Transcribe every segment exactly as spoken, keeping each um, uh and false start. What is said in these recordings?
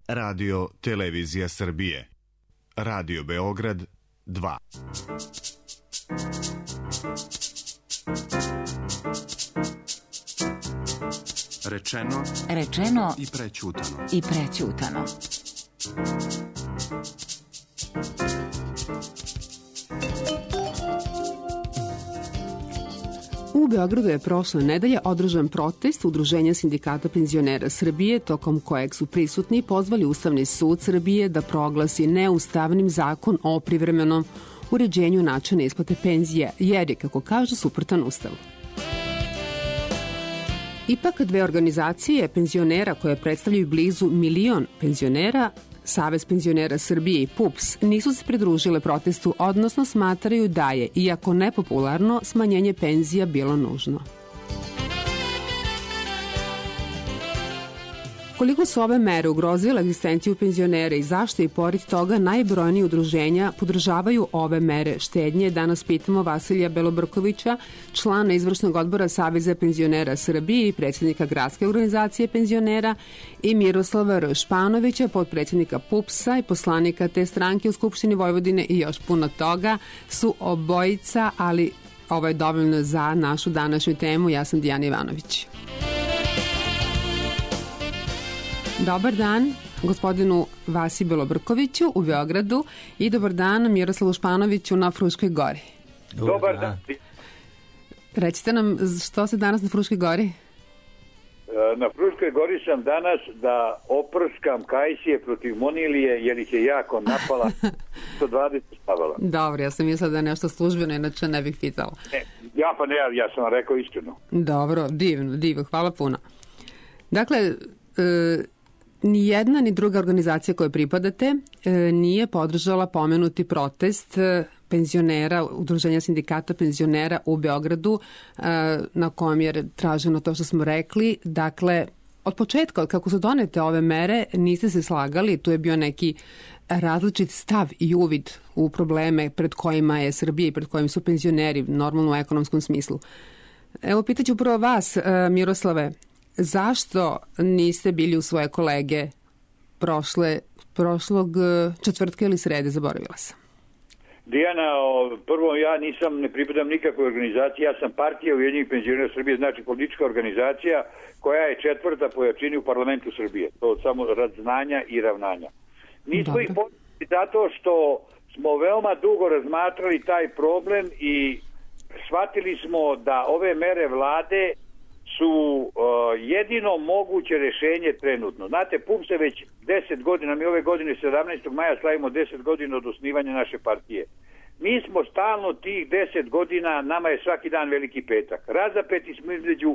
Radio Televizija Srbije. Radio Beograd dva. Rečeno, rečeno i prećutano. I prećutano. U Beogradu je prošle nedelje održan protest Udruženja sindikata penzionera Srbije, tokom kojeg su prisutni pozvali Ustavni sud Srbije da proglasi neustavnim zakon o privremenom uređenju načina isplate penzija, jer je, kako kažu, suprotan Ustavu. Ipak dve organizacije penzionera koje predstavljaju blizu milion penzionera, Savez penzionera Srbije i P U P S, nisu se pridružile protestu, odnosno smatraju da je, iako nepopularno, smanjenje penzija bilo nužno. Koliko su ove mere ugrozile egzistenciju penzionera i zašto i pored toga najbrojniji udruženja podržavaju ove mere štednje, danas pitamo Vasilija Belobrkovića, člana izvršnog odbora Saveza penzionera Srbije i predsjednika Gradske organizacije penzionera, i Miroslava R. Španovića, potpredsjednika P U P S-a i poslanika te stranke u Skupštini Vojvodine, i još puno toga. Su obojica, ali ovo je dovoljno za našu današnju temu. Ja sam Dijana Ivanović. Dobar dan gospodinu Vasi Belobrkoviću u Beogradu i dobar dan Miroslavu Španoviću na Fruškoj gori. Dobar dan. Recite nam što se danas na Fruškoj gori? Na Fruškoj gori sam danas da oprskam kajsije protiv Monilije, jer ih je jako napala, sto dvadeset stavala. Dobro, ja sam mislila da je nešto službeno, inače ne bih pitala. Ne, ja pa ne, ja sam rekao istinu. Dobro, divno, divno, hvala puno. Dakle, e, ni jedna ni druga organizacija koje pripadate e, nije podržala pomenuti protest e, penzionera, Udruženja sindikata penzionera u Beogradu, e, na kojem je traženo to što smo rekli. Dakle, od početka, od kako su donete ove mere, niste se slagali, tu je bio neki različit stav i uvid u probleme pred kojima je Srbija i pred kojim su penzioneri, normalno u ekonomskom smislu. Evo, pitaću prvo vas, e, Miroslave, zašto niste bili u svoje kolege prošle, prošlog četvrtka ili srede, zaboravila sam? Dijana, prvo ja nisam, ne pripadam nikakvoj organizaciji, ja sam partija Ujedinjenih penzionera Srbije, znači politička organizacija koja je četvrta po jačini u parlamentu Srbije. To samo rad znanja i ravnanja. Nismo Dobre. ih podržali zato što smo veoma dugo razmatrali taj problem i shvatili smo da ove mere vlade su uh, jedino moguće rešenje trenutno. Znate, P U P S je već deset godina, mi ove godine sedamnaestog maja slavimo deset godina od osnivanja naše partije. Mi smo stalno tih deset godina, nama je svaki dan veliki petak. Razapeti smo između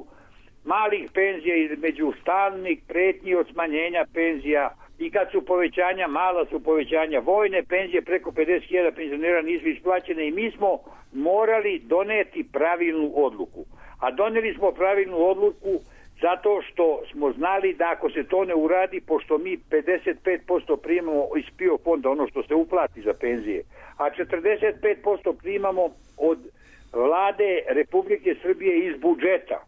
malih penzija, između stalnih pretnji od smanjenja penzija, i kad su povećanja, mala su povećanja, vojne penzije, preko pedeset hiljada penzionera nisu isplaćene, i mi smo morali doneti pravilnu odluku. A doneli smo pravilnu odluku zato što smo znali da ako se to ne uradi, pošto mi pedeset pet posto primamo iz P I O fonda, ono što se uplati za penzije, a četrdeset pet posto primamo od vlade Republike Srbije iz budžeta,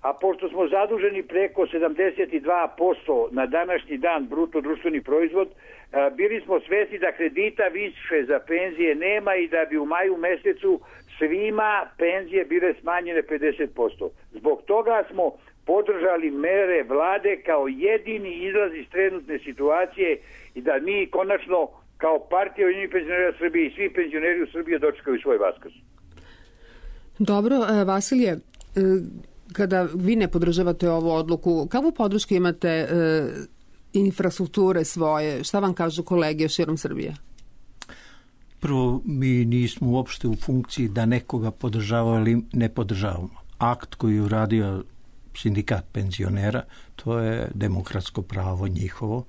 a pošto smo zaduženi preko sedamdeset dva posto na današnji dan bruto društveni proizvod, bili smo svesni da kredita više za penzije nema i da bi u maju mesecu svima penzije bile smanjene pedeset posto. Zbog toga smo podržali mere vlade kao jedini izlaz iz trenutne situacije i da mi konačno kao partija Ujedinjenih penzionera Srbije i svi penzioneri u Srbiji dočekaju svoj vaskrs. Dobro, Vasilije, kada vi ne podržavate ovu odluku, kakvu podršku imate e, infrastrukture svoje? Šta vam kažu kolege širom Srbije? Prvo, mi nismo uopšte u funkciji da nekoga podržavamo ili ne podržavamo. Akt koji je uradio sindikat penzionera, to je demokratsko pravo njihovo,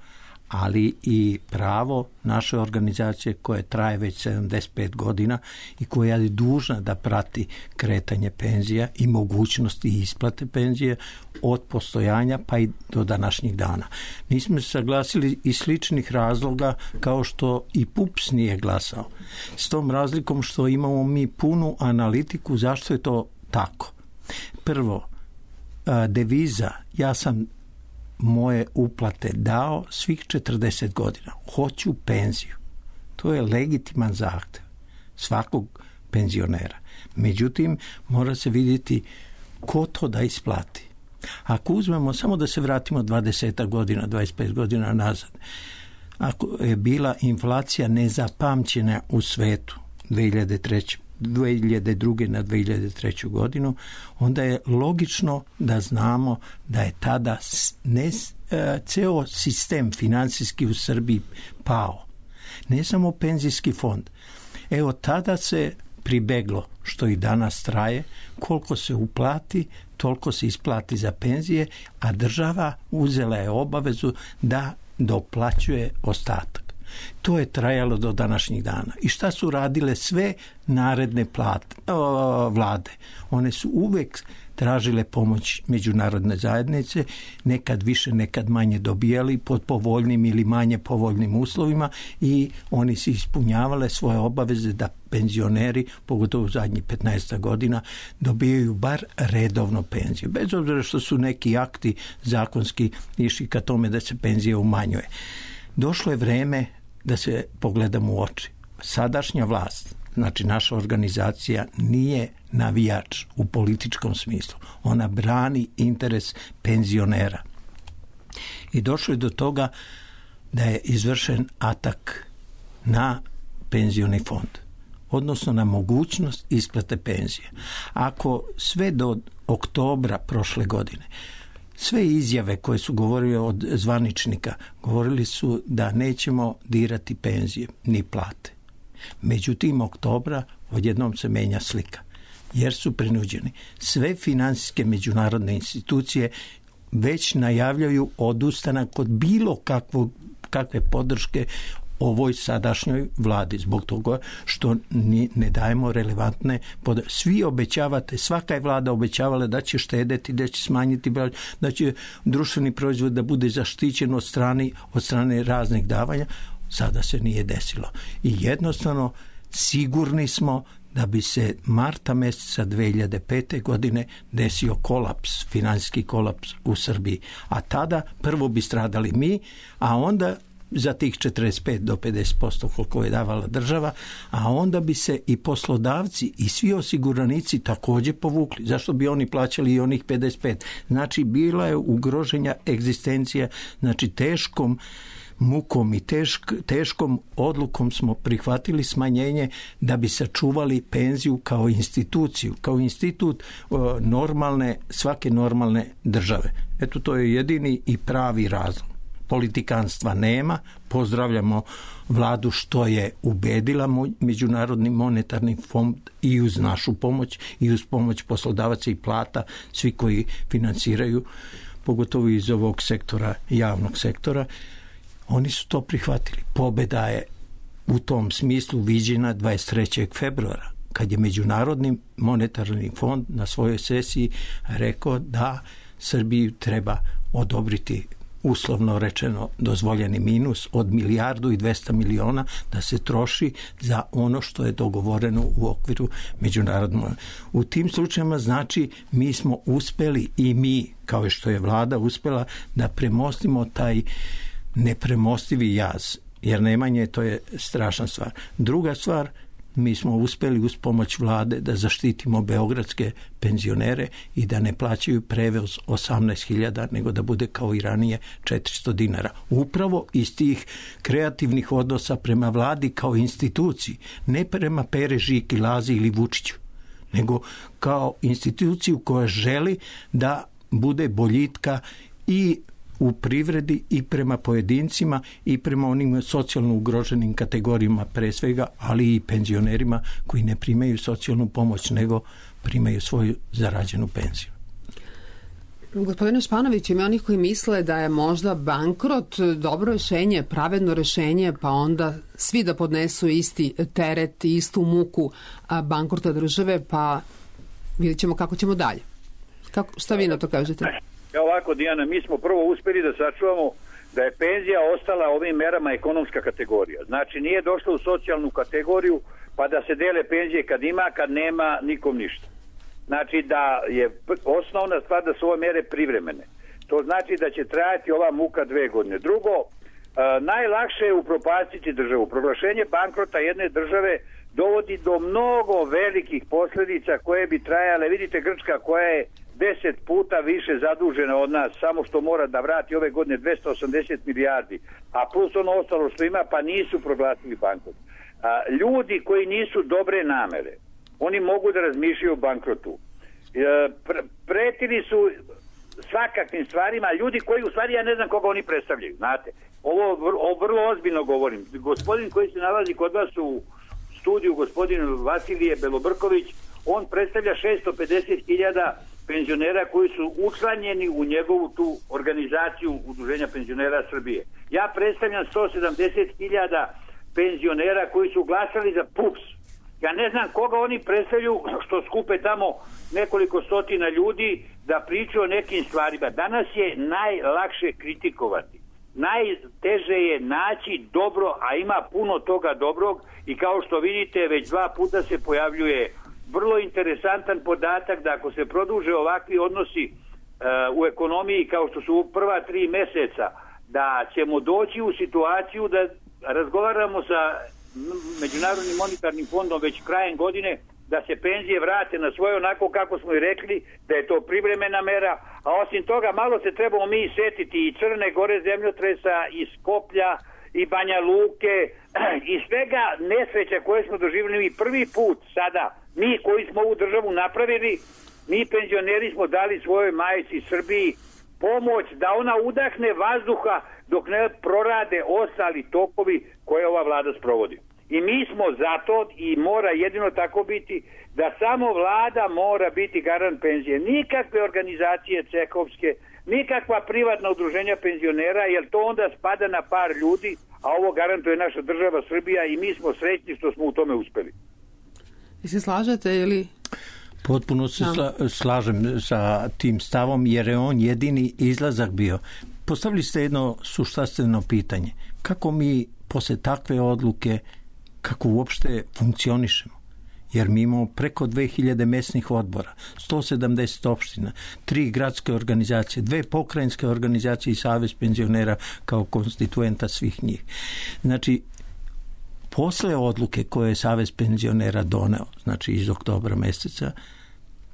ali i pravo naše organizacije koje traje već sedamdeset pet godina i koja je dužna da prati kretanje penzija i mogućnosti isplate penzije od postojanja pa i do današnjih dana. Nismo se saglasili iz sličnih razloga kao što i P U P S nije glasao. S tom razlikom što imamo mi punu analitiku zašto je to tako. Prvo, deviza, ja sam moje uplate dao svih četrdeset godina. Hoću penziju. To je legitiman zahtev svakog penzionera. Međutim, mora se vidjeti ko to da isplati. Ako uzmemo, samo da se vratimo dvadeset godina, dvadeset pet godina nazad, ako je bila inflacija nezapamćena u svetu dve hiljade treće dve hiljade druge na dve hiljade treću godinu, onda je logično da znamo da je tada ne, ceo sistem finansijski u Srbiji pao. Ne samo penzijski fond. Evo tada se pribeglo, što i danas traje, koliko se uplati, toliko se isplati za penzije, a država uzela je obavezu da doplaćuje ostatak. To je trajalo do današnjih dana. I šta su radile sve naredne plate, o, vlade? One su uvek tražile pomoć međunarodne zajednice, nekad više, nekad manje dobijali pod povoljnim ili manje povoljnim uslovima i oni su ispunjavale svoje obaveze da penzioneri, pogotovo u zadnjih petnaest godina, dobijaju bar redovno penziju. Bez obzira što su neki akti zakonski išli ka tome da se penzija umanjuje. Došlo je vreme da se pogledamo u oči. Sadašnja vlast, znači naša organizacija, nije navijač u političkom smislu. Ona brani interes penzionera. I došlo je do toga da je izvršen atak na penzioni fond, odnosno na mogućnost isplate penzije. Ako sve do oktobra prošle godine sve izjave koje su govorili od zvaničnika, govorili su da nećemo dirati penzije ni plate. Međutim, oktobra odjednom se menja slika, jer su prinuđeni. Sve finansijske međunarodne institucije već najavljaju odustanak od bilo kakvog, kakve podrške ovoj sadašnjoj vladi, zbog toga što ne dajemo relevantne podrške. Svi obećavate, svaka je vlada obećavala da će štedeti, da će smanjiti, da će društveni proizvod da bude zaštićen od strane, od strane raznih davanja. Sada se nije desilo. I jednostavno sigurni smo da bi se marta mjeseca dve hiljade pete. godine desio kolaps, finansijski kolaps u Srbiji. A tada prvo bi stradali mi, a onda za tih četrdeset pet do pedeset posto koliko je davala država, a onda bi se i poslodavci i svi osiguranici također povukli. Zašto bi oni plaćali i onih pedeset pet? Znači, bila je ugroženja egzistencija, znači teškom mukom i tešk, teškom odlukom smo prihvatili smanjenje da bi sačuvali penziju kao instituciju, kao institut o, normalne, svake normalne države. Eto, to je jedini i pravi razlog. Politikanstva nema, pozdravljamo vladu što je ubedila Međunarodni monetarni fond i uz našu pomoć i uz pomoć poslodavaca i plata, svi koji financiraju, pogotovo iz ovog sektora, javnog sektora, oni su to prihvatili. Pobjeda je u tom smislu viđena dvadeset trećeg februara, kad je Međunarodni monetarni fond na svojoj sesiji rekao da Srbiji treba odobriti, uslovno rečeno, dozvoljeni minus od milijardu i dvesta miliona da se troši za ono što je dogovoreno u okviru međunarodnog. U tim slučajima, znači, mi smo uspeli i mi, kao što je vlada uspela, da premostimo taj nepremostivi jaz, jer nemanje, to je strašna stvar. Druga stvar, mi smo uspeli uz pomoć vlade da zaštitimo beogradske penzionere i da ne plaćaju prevoz osamnaest hiljada, nego da bude kao i ranije četiristo dinara. Upravo iz tih kreativnih odnosa prema vladi kao instituciji, ne prema Pere, Žiki, Lazi ili Vučiću, nego kao instituciju koja želi da bude boljitka i u privredi i prema pojedincima i prema onim socijalno ugroženim kategorijama pre svega, ali i penzionerima koji ne primaju socijalnu pomoć, nego primaju svoju zarađenu penziju. Gospodine Španović, ima onih koji misle da je možda bankrot dobro rešenje, pravedno rešenje, pa onda svi da podnesu isti teret i istu muku bankrota države, pa vidjet ćemo kako ćemo dalje. Kako, šta vi na to kažete? Evo ovako, Dijana, mi smo prvo uspeli da sačuvamo da je penzija ostala ovim merama ekonomska kategorija. Znači, nije došla u socijalnu kategoriju pa da se dele penzije kad ima, kad nema, nikom ništa. Znači, da je osnovna stvar da su ove mere privremene. To znači da će trajati ova muka dve godine. Drugo, najlakše je upropastiti državu. Proglašenje bankrota jedne države dovodi do mnogo velikih posljedica koje bi trajale. Vidite, Grčka koja je deset puta više zadužena od nas, samo što mora da vrati ove godine dvesta osamdeset milijardi, a plus ono ostalo što ima, pa nisu proglasili bankrot. A, ljudi koji nisu dobre namere, oni mogu da razmišljaju o bankrotu. E, pre, pretili su svakakvim stvarima, ljudi koji u stvari ja ne znam koga oni predstavljaju, znate. Ovo, ovo vrlo ozbiljno govorim. Gospodin koji se nalazi kod vas u studiju, gospodin Vasilije Belobrković, on predstavlja šesto pedeset hiljada penzionera koji su učlanjeni u njegovu tu organizaciju Udruženja penzionera Srbije. Ja predstavljam sto sedamdeset hiljada penzionera koji su glasali za P U P S. Ja ne znam koga oni predstavljaju što skupe tamo nekoliko stotina ljudi da pričaju o nekim stvarima. Danas je najlakše kritikovati. Najteže je naći dobro, a ima puno toga dobrog i kao što vidite već dva puta se pojavljuje vrlo interesantan podatak da ako se produže ovakvi odnosi uh, u ekonomiji kao što su u prva tri meseca, da ćemo doći u situaciju da razgovaramo sa Međunarodnim monetarnim fondom već krajem godine da se penzije vrate na svoje onako kako smo i rekli, da je to privremena mera, a osim toga malo se trebamo mi setiti i Crne Gore zemljotresa, i Skoplja, i Banja Luke, i svega nesreća koje smo doživjeli i prvi put sada. Mi koji smo ovu državu napravili, mi penzioneri smo dali svojoj majici Srbiji pomoć da ona udahne vazduha dok ne prorade ostali tokovi koje ova vlada sprovodi. I mi smo zato i mora jedino tako biti da samo vlada mora biti garant penzije. Nikakve organizacije cehovske, nikakva privatna udruženja penzionera, jer to onda spada na par ljudi, a ovo garantuje naša država Srbija i mi smo srećni što smo u tome uspeli. I se slažete ili... Potpuno se sla, slažem sa tim stavom jer je on jedini izlazak bio. Postavili ste jedno suštveno pitanje. Kako mi posle takve odluke, kako uopšte funkcionišemo? Jer mi imamo preko dve hiljade mesnih odbora, sto sedamdeset opština, tri gradske organizacije, dve pokrajinske organizacije i Savez penzionera kao konstituenta svih njih. Znači, posle odluke koje je Savez penzionera doneo, znači iz oktobra meseca,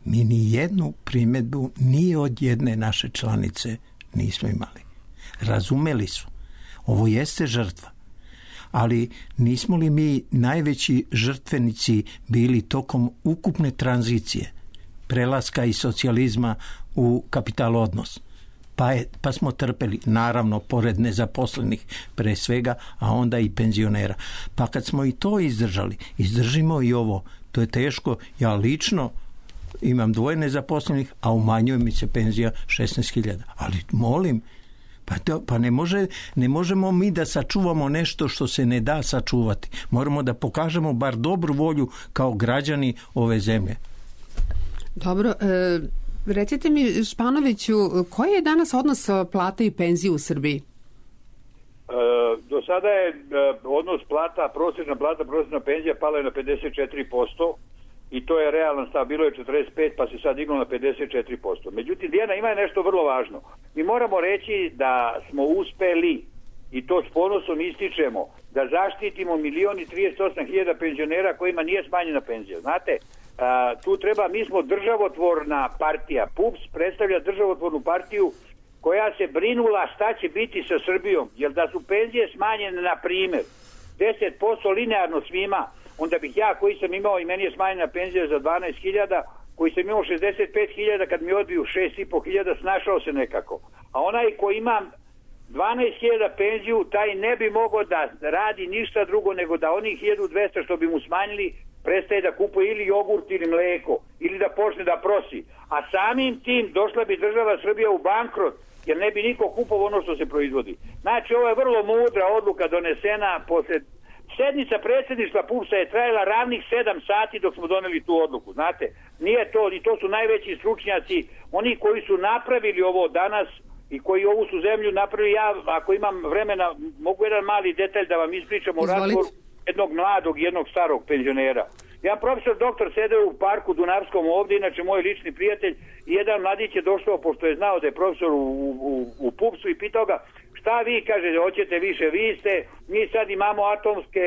mi ni jednu primjedbu ni od jedne naše članice nismo imali. Razumeli su. Ovo jeste žrtva. Ali nismo li mi najveći žrtvenici bili tokom ukupne tranzicije, prelaska iz socijalizma u kapital odnos? Pa, je, pa smo trpeli, naravno, pored nezaposlenih pre svega, a onda i penzionera. Pa kad smo i to izdržali, izdržimo i ovo. To je teško. Ja lično imam dvoje nezaposlenih, a umanjuje mi se penzija šesnaest hiljada. Ali molim, pa, to, pa ne, može, ne možemo mi da sačuvamo nešto što se ne da sačuvati. Moramo da pokažemo bar dobru volju kao građani ove zemlje. Dobro, e, recite mi, Španoviću, koji je danas odnos plata i penzije u Srbiji? E, do sada je e, odnos plata, prosječna plata, prosječna penzija pala je na pedeset četiri posto i to je realan stav. Bilo je četrdeset pet pa se sad diglo na pedeset četiri posto. Međutim, Dijana, ima nešto vrlo važno. Mi moramo reći da smo uspeli, i to s ponosom ističemo, da zaštitimo milion i trideset osam hiljada penzionera kojima nije smanjena penzija. Znate, a, tu treba, mi smo državotvorna partija. P U P S predstavlja državotvornu partiju koja se brinula šta će biti sa Srbijom. Jer da su penzije smanjene, na primjer, deset posto linearno svima, onda bih ja koji sam imao, i meni je smanjena penzija za dvanaest hiljada, koji sam imao šezdeset pet hiljada, kad mi odbiju šest i po hiljada, snašao se nekako. A onaj koji ima dvanaest hiljada penziju, taj ne bi mogao da radi ništa drugo nego da onih hiljadu dvesta što bi mu smanjili prestaje da kupuje ili jogurt ili mleko ili da počne da prosi. A samim tim došla bi država Srbija u bankrot jer ne bi niko kupovao ono što se proizvodi. Znači, ovo je vrlo mudra odluka donesena posle sednica predsjedništva P U P S-a je trajala ravnih sedam sati dok smo doneli tu odluku. Znate, nije to, i to su najveći stručnjaci, oni koji su napravili ovo danas i koji ovu su zemlju napravili. Ja, ako imam vremena, mogu jedan mali detalj da vam ispričam o razgovoru jednog mladog i jednog starog penzionera. Ja profesor doktor sedeo u parku Dunavskom ovdje, inače moj lični prijatelj, i jedan mladić je došao, pošto je znao da je profesor u, u, u pupsu, i pitao ga, šta vi, kaže, hoćete više, vi ste, mi sad imamo atomske,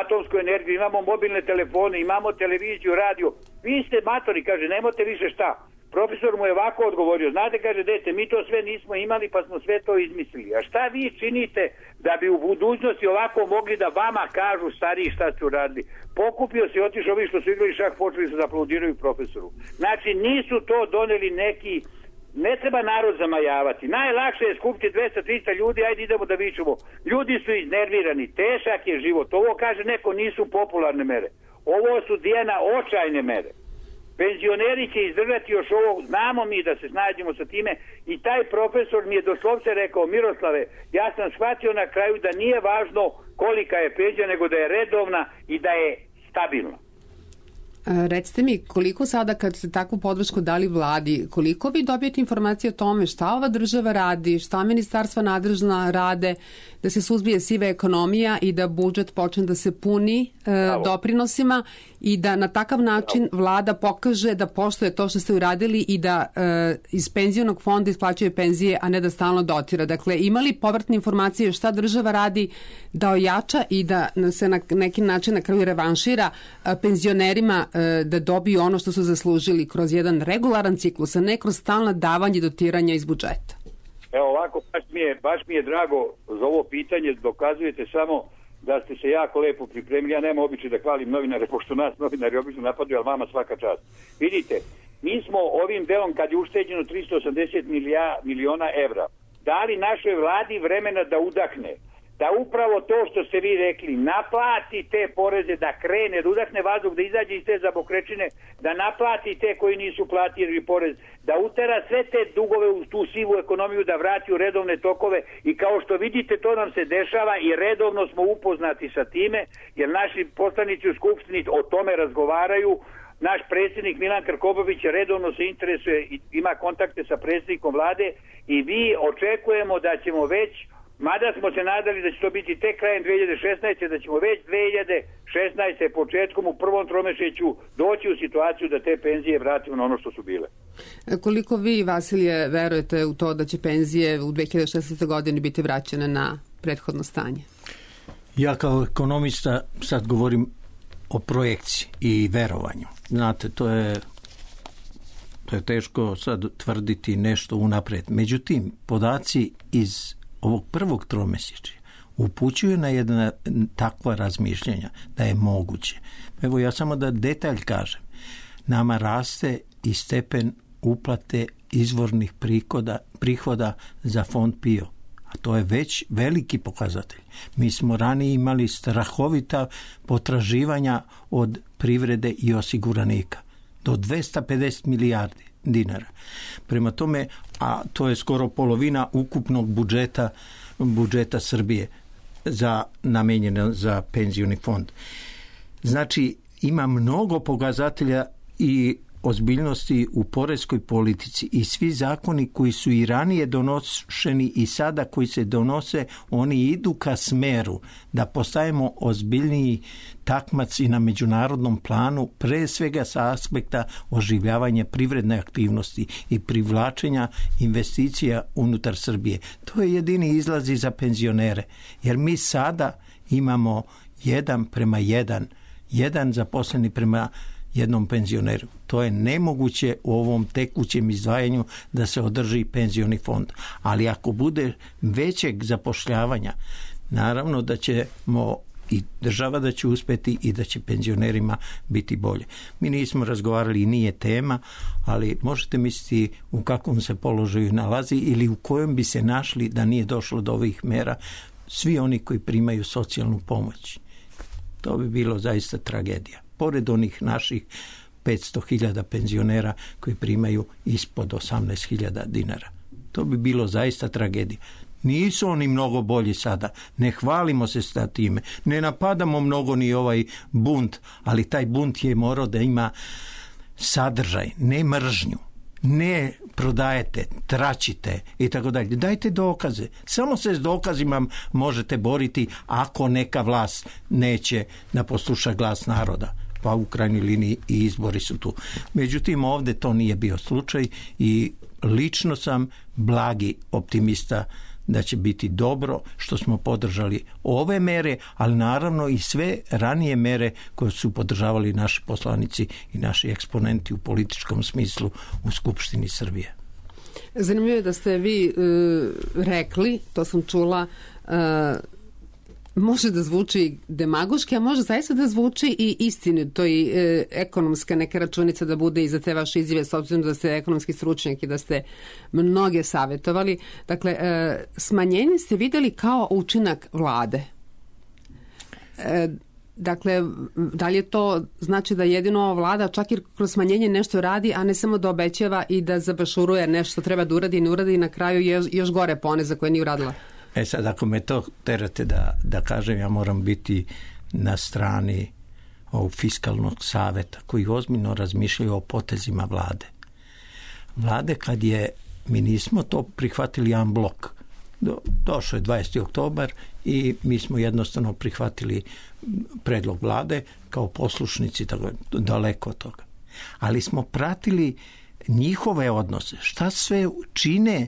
atomsku energiju, imamo mobilne telefone, imamo televiziju, radio, vi ste matori, kaže, nemote više šta. Profesor mu je ovako odgovorio, znate, kaže, dete, mi to sve nismo imali pa smo sve to izmislili. A šta vi činite da bi u budućnosti ovako mogli da vama kažu stariji šta ste uradili? Pokupio se i otišao, ovi što su igrali šah, počeli su da aplaudiraju profesoru. Znači, nisu to doneli neki, ne treba narod zamajavati. Najlakše je skupiti dvesta trista ljudi, ajde idemo da vičemo. Ljudi su iznervirani, težak je život. Ovo, kaže neko, nisu popularne mere. Ovo su, Dijana, očajne mere. Penzioneri će izdržati još ovo, znamo mi da se snađemo sa time, i taj profesor mi je doslovce rekao, Miroslave, ja sam shvatio na kraju da nije važno kolika je penzija, nego da je redovna i da je stabilna. Recite mi, koliko sada kad ste takvu podršku dali vladi, koliko vi dobijete informacije o tome šta ova država radi, šta ministarstva nadležna rade, da se suzbije siva ekonomija i da budžet počne da se puni e, doprinosima i da na takav način vlada pokaže da poštuje to što ste uradili i da e, iz penzionog fonda isplaćuje penzije, a ne da stalno dotira. Dakle, imali povratne informacije šta država radi da ojača i da se na neki način na kraju revanšira e, penzionerima e, da dobiju ono što su zaslužili kroz jedan regularan ciklus, a ne kroz stalna davanja i dotiranja iz budžeta? Evo ovako, baš mi je, baš mi je drago za ovo pitanje, dokazujete samo da ste se jako lepo pripremili. Ja nemam običaj da hvalim novinare, pošto nas novinari obično napadaju, ali vama svaka čast. Vidite, mi smo ovim delom, kad je ušteđeno tristo osamdeset miliona evra, dali našoj vladi vremena da udahne, da upravo to što ste vi rekli, naplati te poreze, da krene, da udahne vazduh, da izađe iz te zabokrečine, da naplati te koji nisu platili porez, da utera sve te dugove u tu sivu ekonomiju, da vrati u redovne tokove, i kao što vidite to nam se dešava i redovno smo upoznati sa time, jer naši poslanici u Skupštini o tome razgovaraju. Naš predsjednik Milan Krkobabić redovno se interesuje i ima kontakte sa predsjednikom vlade, i vi očekujemo da ćemo već, mada smo se nadali da će to biti tek krajem dve hiljade šesnaeste. da ćemo već dve hiljade šesnaeste. početkom u prvom tromesečju doći u situaciju da te penzije vratimo na ono što su bile. Koliko vi, Vasilije, verujete u to da će penzije u dve hiljade šesnaestoj. godini biti vraćene na prethodno stanje? Ja kao ekonomista sad govorim o projekciji i verovanju. Znate, to je to je teško sad tvrditi nešto unapred. Međutim, podaci iz ovog prvog tromesečja upućuju na jedna takva razmišljanja da je moguće. Evo ja samo da detalj kažem. Nama raste i stepen uplate izvornih prihoda, prihoda za fond P I O. A to je već veliki pokazatelj. Mi smo ranije imali strahovita potraživanja od privrede i osiguranika. Do dvesta pedeset milijardi dinara. Prema tome, a to je skoro polovina ukupnog budžeta budžeta Srbije za namenjeno za penzioni fond. Znači, ima mnogo pokazatelja i ozbiljnosti u poreskoj politici, i svi zakoni koji su i ranije donošeni i sada koji se donose, oni idu ka smeru da postajemo ozbiljniji takmac i na međunarodnom planu, pre svega sa aspekta oživljavanja privredne aktivnosti i privlačenja investicija unutar Srbije. To je jedini izlaz za penzionere, jer mi sada imamo jedan prema jedan, jedan zaposleni prema jednom penzioneru. To je nemoguće u ovom tekućem izdvajanju da se održi penzioni fond. Ali ako bude većeg zapošljavanja, naravno da ćemo i država da će uspeti i da će penzionerima biti bolje. Mi nismo razgovarali i nije tema, ali možete misliti u kakvom se položaju nalazi ili u kojem bi se našli da nije došlo do ovih mera svi oni koji primaju socijalnu pomoć. To bi bilo zaista tragedija. Pored onih naših petsto hiljada penzionera koji primaju ispod osamnaest hiljada dinara. To bi bilo zaista tragedija. Nisu oni mnogo bolji sada. Ne hvalimo se sa time. Ne napadamo mnogo ni ovaj bunt, ali taj bunt je morao da ima sadržaj, ne mržnju, ne prodajete, tračite i tako dalje. Dajte dokaze. Samo se s dokazima možete boriti ako neka vlast neće da posluša glas naroda. Pa u krajnjoj liniji i izbori su tu. Međutim, ovdje to nije bio slučaj i lično sam blagi optimista da će biti dobro što smo podržali ove mere, ali naravno i sve ranije mere koje su podržavali naši poslanici i naši eksponenti u političkom smislu u Skupštini Srbije. Zanimljivo je da ste vi e, rekli, to sam čula, e, može da zvuči demagoški, a može zaista da zvuči i istinito i e, ekonomska neka računica da bude iza te vaše izjave, s obzirom da ste ekonomski stručnjak i da ste mnoge savjetovali. Dakle, e, smanjenje ste vidjeli kao učinak vlade. E, dakle, da li je to znači da jedino vlada čak i kroz smanjenje nešto radi, a ne samo da obećava i da zabašuruje nešto treba da uradi i ne uradi i na kraju još, još gore pone za koje nije uradila? E sad, ako me to terate da, da kažem, ja moram biti na strani ovog fiskalnog savjeta koji ozbiljno razmišljaju o potezima vlade. Vlade kad je, mi nismo to prihvatili jedan blok. Do, došao je dvadesetog oktobar i mi smo jednostavno prihvatili predlog vlade kao poslušnici, tako daleko od toga. Ali smo pratili njihove odnose. Šta sve čine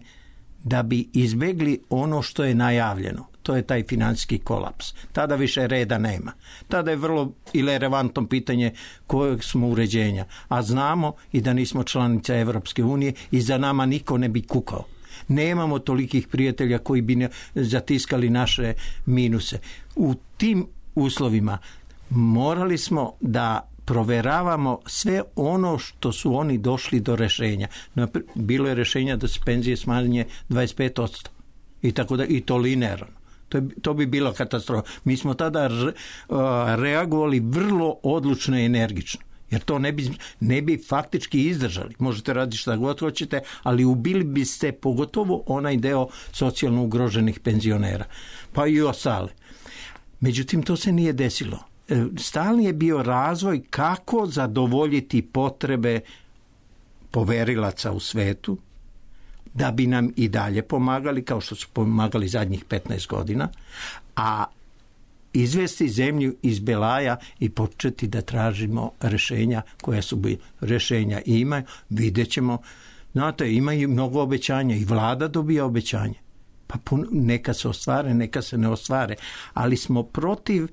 da bi izbjegli ono što je najavljeno. To je taj financijski kolaps. Tada više reda nema. Tada je vrlo irelevantno pitanje kojeg smo uređenja. A znamo i da nismo članica Evropske unije i za nama niko ne bi kukao. Nemamo tolikih prijatelja koji bi zatiskali naše minuse. U tim uslovima morali smo da proveravamo sve ono što su oni došli do rješenja. Bilo je rješenja da se penzije smanje dvadeset pet posto i tako da, i to linearno. To, je, to bi bila katastrofa. Mi smo tada re, uh, reagovali vrlo odlučno i energično. Jer to ne bi, ne bi faktički izdržali. Možete raditi šta god hoćete, ali ubili biste pogotovo onaj deo socijalno ugroženih penzionera. Pa i ostale. Međutim, to se nije desilo. Stalni je bio razvoj kako zadovoljiti potrebe poverilaca u svetu, da bi nam i dalje pomagali, kao što su pomagali zadnjih petnaest godina, a izvesti zemlju iz belaja i početi da tražimo rješenja koja su bi rješenja ima, vidjet ćemo. Znate, imaju mnogo obećanja i vlada dobija obećanje. Pa pun, neka se ostvare, neka se ne ostvare, ali smo protiv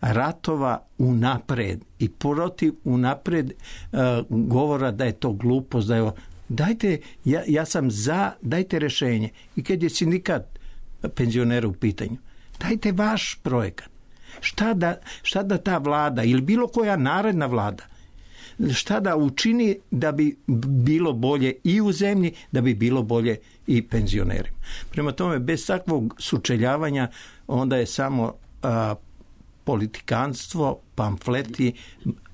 ratova unapred i protiv unapred uh, govora da je to glupost, da je dajte, ja, ja sam za, dajte rješenje. I kad je sindikat penzionera u pitanju, dajte vaš projekat. Šta da, šta da ta vlada ili bilo koja naredna vlada, šta da učini da bi bilo bolje i u zemlji, da bi bilo bolje i penzionerima. Prema tome, bez takvog sučeljavanja onda je samo a, politikanstvo, pamfleti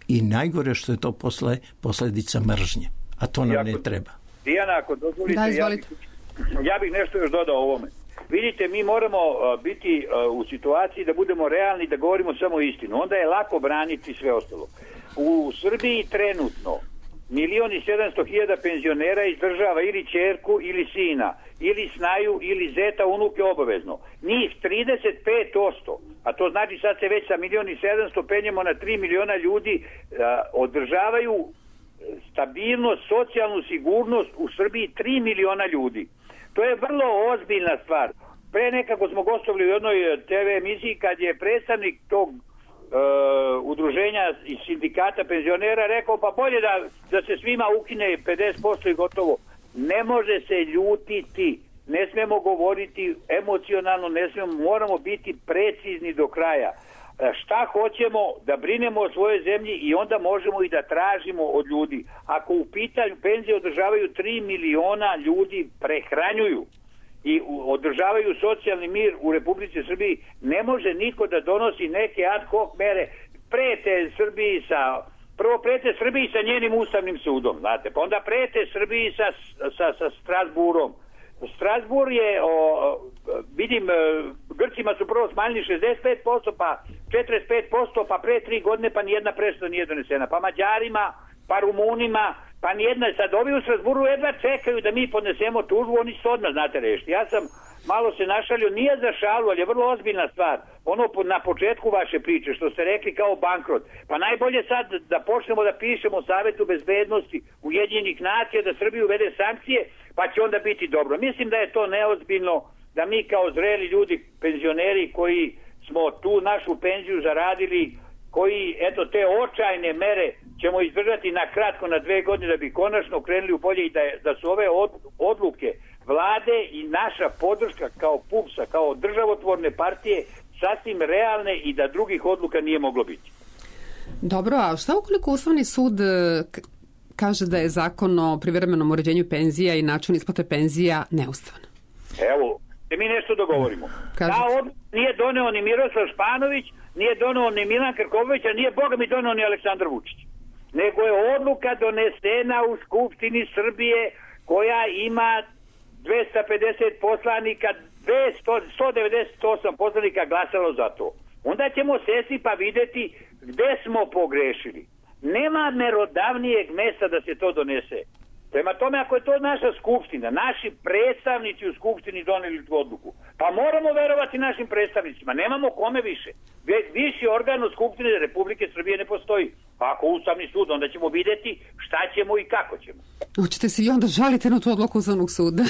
i najgore što je to posle, posljedica mržnje. A to nam ne treba. Dijana, ako dozvolite, da, ja, bih, ja bih nešto još dodao ovome. Vidite, mi moramo uh, biti uh, u situaciji da budemo realni, da govorimo samo istinu. Onda je lako braniti sve ostalo. U Srbiji trenutno milion i sedamsto hiljada penzionera izdržava ili ćerku ili sina, ili snaju ili zeta, unuke obavezno. Njih trideset pet posto, a to znači sad se već sa milion i sedamsto penjemo na tri miliona ljudi, uh, održavaju stabilnost, socijalnu sigurnost u Srbiji tri miliona ljudi. To je vrlo ozbiljna stvar. Pre nekako smo gostovali u jednoj te ve emisiji kad je predstavnik tog uh, udruženja iz sindikata penzionera rekao pa bolje da, da se svima ukine pedeset posto i gotovo. Ne može se ljutiti, ne smemo govoriti emocionalno, ne smemo, moramo biti precizni do kraja. Šta hoćemo, da brinemo o svojoj zemlji i onda možemo i da tražimo od ljudi. Ako u pitanju penzije održavaju tri miliona ljudi, prehranjuju i održavaju socijalni mir u Republici Srbiji, ne može niko da donosi neke ad hoc mere. Prete Srbiji sa, prvo prete Srbiji sa njenim ustavnim sudom, znate, pa onda prete Srbiji sa, sa, sa Strasburom. Strasbur je, o, vidim, Grcima su prvo smanjili šezdeset pet posto, pa četrdeset pet posto, pa pre tri godine pa nijedna presuda nije donesena. Pa Mađarima, pa Rumunima, Pa nijedna, sad ovi u Strasburu jedva čekaju da mi podnesemo tužbu, oni su odmah, znate, rešiti. Ja sam malo se našalio, nije za šalu, ali je vrlo ozbiljna stvar. Ono na početku vaše priče, što ste rekli kao bankrot. Pa najbolje sad da počnemo da pišemo Savetu bezbednosti Ujedinjenih nacija da Srbiju uvede sankcije, pa će onda biti dobro. Mislim da je to neozbiljno, da mi kao zreli ljudi, penzioneri koji smo tu našu penziju zaradili, koji, eto, te očajne mere ćemo izdržati na kratko, na dve godine, da bi konačno krenuli u bolje i da, da su ove od, odluke vlade i naša podrška kao PUPS-a, kao državotvorne partije sasvim realne i da drugih odluka nije moglo biti. Dobro, a šta ukoliko Ustavni sud kaže da je zakon o privremenom uređenju penzija i način isplate penzija neustavan? Evo, da mi nešto dogovorimo. Kažete. Ta odluka nije doneo ni Miroslav Španović, nije doneo ni Milan Krković, a nije Boga mi doneo ni Aleksandar Vučić. Nego je odluka donesena u Skupštini Srbije koja ima dvesta pedeset poslanika, dvesta, sto devedeset osam poslanika glasalo za to. Onda ćemo sesti pa videti gde smo pogrešili. Nema merodavnijeg mesta da se to donese. Prema tome, ako je to naša skupština, naši predstavnici u skupštini doneli tu odluku, pa moramo verovati našim predstavnicima. Nemamo kome više. Viši organ u skupštini Republike Srbije ne postoji. Pa ako Ustavni sud, onda ćemo videti šta ćemo i kako ćemo. Hoćete se i onda žalite na tu odluku Ustavnog suda?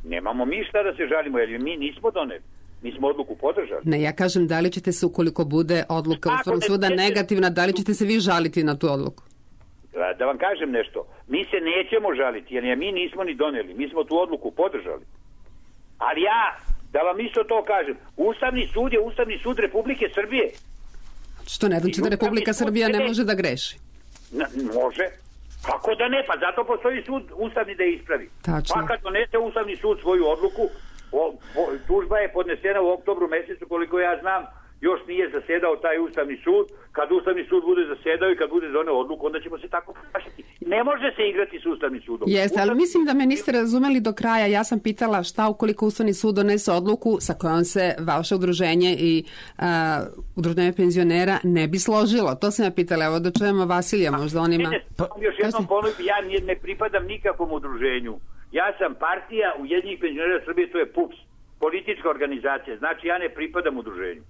Nemamo mi šta da se žalimo, jer mi nismo doneli. Mi smo odluku podržali. Ne, ja kažem, da li ćete se, ukoliko bude odluka Ustavnog suda negativna, da li ćete se vi žaliti na tu odluku? Da vam kažem nešto, mi se nećemo žaliti, jer je mi nismo ni doneli, mi smo tu odluku podržali. Ali ja, da vam isto to kažem, Ustavni sud je Ustavni sud Republike Srbije. Što ne znači da Republika Srbija ne može da greši? Na, može. Kako da ne? Pa zato postoji sud Ustavni da je ispravi. Tačno. Pa kad donese Ustavni sud svoju odluku, o, o, tužba je podnesena u oktobru mesecu, koliko ja znam, još nije zasedao taj Ustavni sud. Kad Ustavni sud bude zasedao i kad bude doneo odluku, onda ćemo se tako ponašati. Ne može se igrati s Ustavnim sudom. Jeste, ali mislim da me niste razumeli do kraja. Ja sam pitala šta ukoliko Ustavni sud donese odluku sa kojom se vaše udruženje i a, udruženje penzionera ne bi složilo. To sam ja pitala. Evo da čujemo Vasilija, možda on ima... Pa, još jednom ponovim, ja ne pripadam nikakvom udruženju. Ja sam partija Ujedinjenih penzionera Srbije, to je PUPS, politička organizacija. Znači ja ne pripadam udruženju.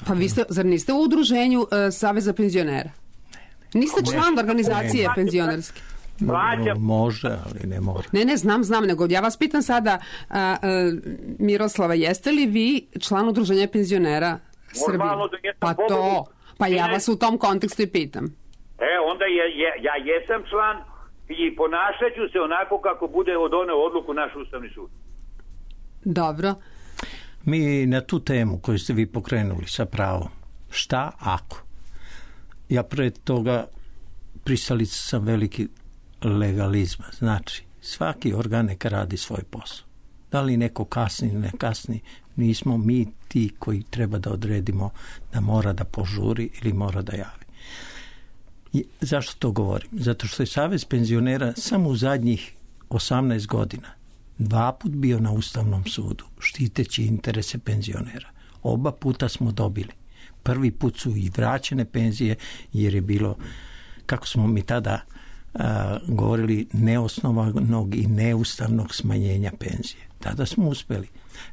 Pa vi ste, zar niste u udruženju uh, Saveza penzionera? Niste član organizacije penzionerske? Plaćam. Može, ali ne mora. Ne, ne, znam, znam, nego ja vas pitam sada, uh, uh, Miroslava, jeste li vi član udruženja penzionera Srbije? Pa to, pa ja vas u tom kontekstu i pitam. E, onda je, je, ja jesam član i ponašat ću se onako kako bude doneo odluku naš Ustavni sud. Dobro. Mi na tu temu koju ste vi pokrenuli sa pravom, šta ako? Ja pred toga pristalica sam veliki legalizma. Znači, svaki organ neka radi svoj posao. Da li neko kasni ili ne kasni, nismo mi ti koji treba da odredimo da mora da požuri ili mora da javi. I zašto to govorim? Zato što je Savez penzionera samo u zadnjih osamnaest godina dva put bio na Ustavnom sudu, štiteći interese penzionera. Oba puta smo dobili. Prvi put su i vraćene penzije, jer je bilo, kako smo mi tada a, govorili, neosnovanog i neustavnog smanjenja penzije. Tada smo uspeli.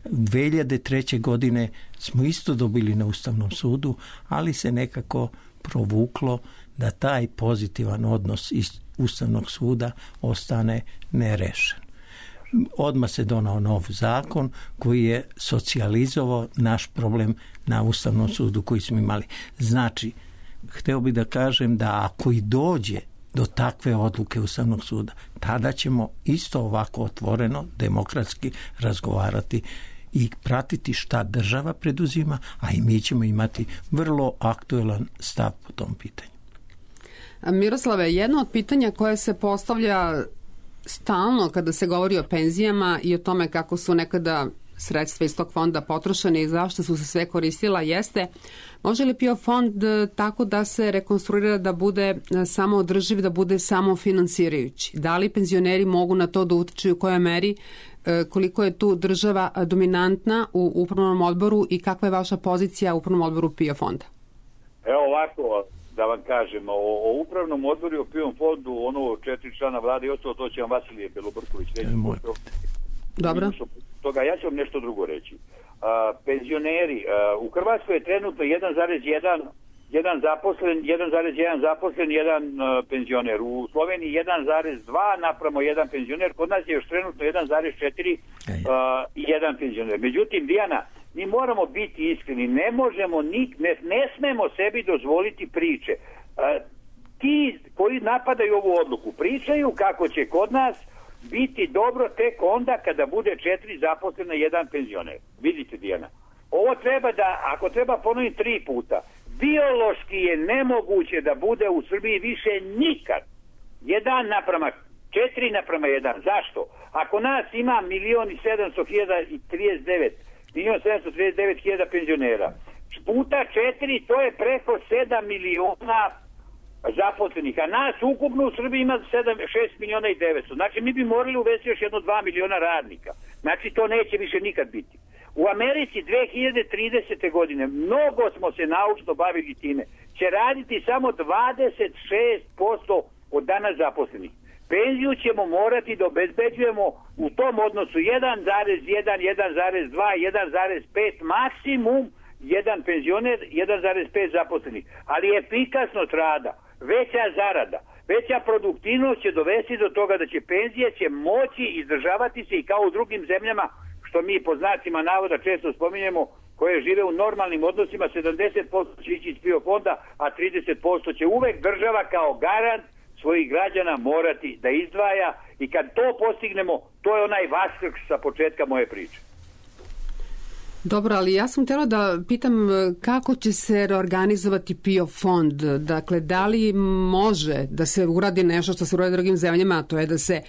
dve hiljade treće. godine smo isto dobili na Ustavnom sudu, ali se nekako provuklo da taj pozitivan odnos iz Ustavnog suda ostane nerešen. Odmah se donao nov zakon koji je socijalizovao naš problem na Ustavnom sudu koji smo imali. Znači, hteo bih da kažem da ako i dođe do takve odluke Ustavnog suda, tada ćemo isto ovako otvoreno, demokratski razgovarati i pratiti šta država preduzima, a i mi ćemo imati vrlo aktuelan stav po tom pitanju. Miroslave, jedno od pitanja koje se postavlja stalno kada se govori o penzijama i o tome kako su nekada sredstva iz tog fonda potrošene i zašto su se sve koristila jeste, može li P I O fond tako da se rekonstruira da bude samo održiv, da bude samo finansirajući? Da li penzioneri mogu na to da utiču i u kojoj meri, koliko je tu država dominantna u upravnom odboru i kakva je vaša pozicija u upravnom odboru P I O fonda? Evo ovako, da vam kažem, o, o upravnom odboru i o PIO fondu, ono četiri člana vlade i ostalo, to će vam Vasilije Belobrković reći. Dobro. Toga, ja ću vam nešto drugo reći. A, penzioneri, a, u Hrvatskoj je trenutno jedan zarez jedan jedan zaposlen, jedan zarez jedan zaposlen, jedan uh, penzioner. U Sloveniji jedan zarez dva napramo jedan penzioner. Kod nas je još trenutno jedan zarez četiri uh, jedan penzioner. Međutim, Dijana, mi moramo biti iskreni. Ne možemo, ni, ne, ne smemo sebi dozvoliti priče. Uh, ti koji napadaju ovu odluku pričaju kako će kod nas biti dobro tek onda kada bude četiri zaposlena jedan penzioner. Vidite, Dijana. Ovo treba da, ako treba ponoviti tri puta, biološki je nemoguće da bude u Srbiji više nikad jedan naprama četiri naprama jedan. Zašto? Ako nas ima milion i sedamsto hiljada i trideset devet, milion sedamsto trideset devet hiljada penzionera, puta četiri, to je preko sedam miliona zaposlenih, a nas ukupno u Srbiji ima sedam, šest miliona i devetsto. Znači mi bi morali uvesti još jedno dva miliona radnika. Znači to neće više nikad biti. U Americi dve hiljade tridesete. godine, mnogo smo se naučno bavili time, će raditi samo dvadeset šest posto od danas zaposlenih. Penziju ćemo morati da obezbeđujemo u tom odnosu jedan zarez jedan, jedan zarez dva, jedan zarez pet, maksimum jedan penzioner, jedan zarez pet zaposlenih. Ali efikasnost rada, veća zarada, veća produktivnost će dovesti do toga da će penzije će moći izdržavati se i kao u drugim zemljama, što mi po znacima navoda često spominjemo, koje žive u normalnim odnosima, sedamdeset posto će ići iz PIO fonda, a trideset posto će uvek država kao garant svojih građana morati da izdvaja, i kad to postignemo, to je onaj vaskrs sa početka moje priče. Dobro, ali ja sam htjela da pitam kako će se reorganizovati PIO fond. Dakle, da li može da se uradi nešto što se uradi drugim zemljama, a to je da se,